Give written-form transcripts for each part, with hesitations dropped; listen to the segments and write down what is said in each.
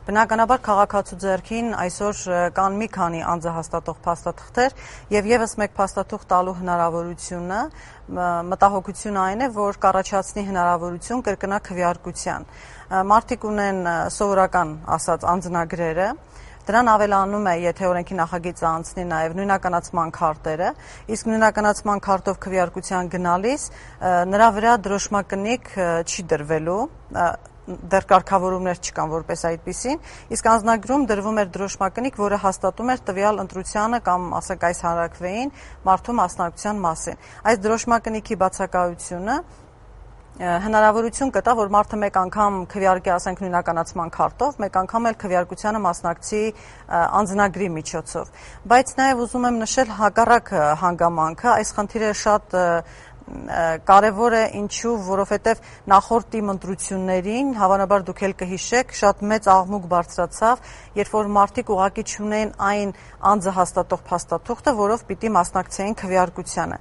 Բնականաբար քաղաքացու ձեռքին այսօր կան մի քանի անձահաստատող փաստաթղթեր եւ եւս մեկ փաստաթուղթ տալու հնարավորությունը մտահոգությունը այն է, որ կառաջացնի հնարավորություն կրկնակ քվեարկության։ Մարդիկ ունեն սովորական ասած անձնագրերը, դրան ավելանում է, եթե օրենքի նախագիծը անցնի նաև նույնականացման քարտերը, իսկ նույնականացման քարտով քվեարկության գնալիս նրա վրա դրոշմակնիկ չի դրվելու, դեռ կարգավորումներ չկան որպես այդպիսին, իսկ անձնագրում դրվում էր դրոշմակնիկ, որը հաստատում էր տվյալ ընտրությանը կամ ասենք այս հանրաքվեին մարդու մասնակցության մասին։ Այս դրոշմակնիքի բացակայությունը հնարավորություն կտա, որ մարդը մեկ անգամ քվեարկի, ասենք նույնականացման քարտով, մեկ անգամ էլ քվեարկությանը մասնակցի անձնագրի միջոցով։ Բայց նաև ուզում եմ նշել հակառակ հանգամանքը, այս խնդիրը շատ կարևոր է, ինչու, որովհետև նախորդ թիմ ընտրություններին, հավանաբար դուք էլ կհիշեք, շատ մեծ աղմուկ բարձրացավ, երբ որ մարդիկ ուղղակի չունեն այն անձը հաստատող փաստաթուղթը, որով պիտի մասնակցեին քվեարկությանը։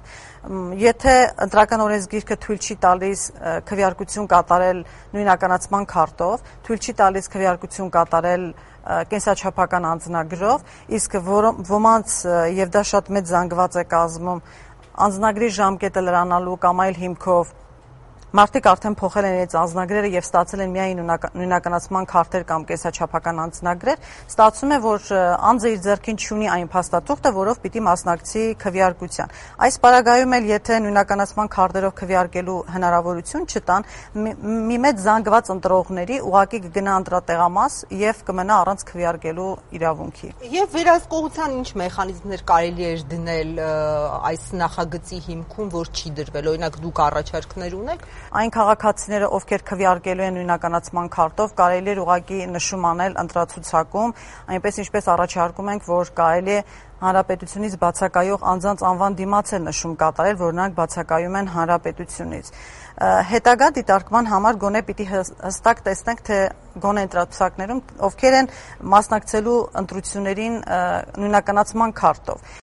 Եթե ընտրական օրենսգիրքը թույլ չի տալիս քվեարկություն կատարել նույնականացման քարտով, թույլ չի տալիս քվեարկություն կատարել կենսաչափական անձնագրով, իսկ ոմանց եւ դա շատ մեծ զանգված է կազմում անձնագրի ժամկետը լրանալու կամ այլ հիմքով մարդիկ արդեն փոխել են իրենց անձնագրերը եւ ստացել են միայն նույնականացման քարտեր կամ կենսաչափական անձնագրեր, ստացվում է, որ անձը իր ձեռքին չունի այն փաստաթուղթը, որով պիտի մասնակցի քվեարկության։ Այս պարագայում էլ եթե նույնականացման քարտերով քվեարկելու հնարավորություն չտան, մի մեծ զանգված ընտրողների ուղղակի կգնա ընտրատեղամաս եւ կմնա առանց քվեարկելու իրավունքի։ Եվ վերահսկողության ինչ մեխանիզմներ կարելի է դնել այս նախագծի հիմքում, որ չի դրվել, օրինակ դուք առաջարկներ ունեք։ Այն քաղաքացիները, ովքեր քվեարկելու են նույնականացման քարտով, կարելի է ուղղակի նշում անել ընտրացուցակում, այնպես ինչպես առաջարկում ենք, որ կարելի է հանրապետությունից բացակայող անձանց անվան դիմաց է նշում կատարել, որ նրանք բացակայում են հանրապետությունից։ Հետագա դիտարկման համար գոնե պիտի հստակ տեսնենք, թե գոնե ընտրացուցակներում ովքեր են մասնակցելու ընտրություններին նույնականացման քարտով։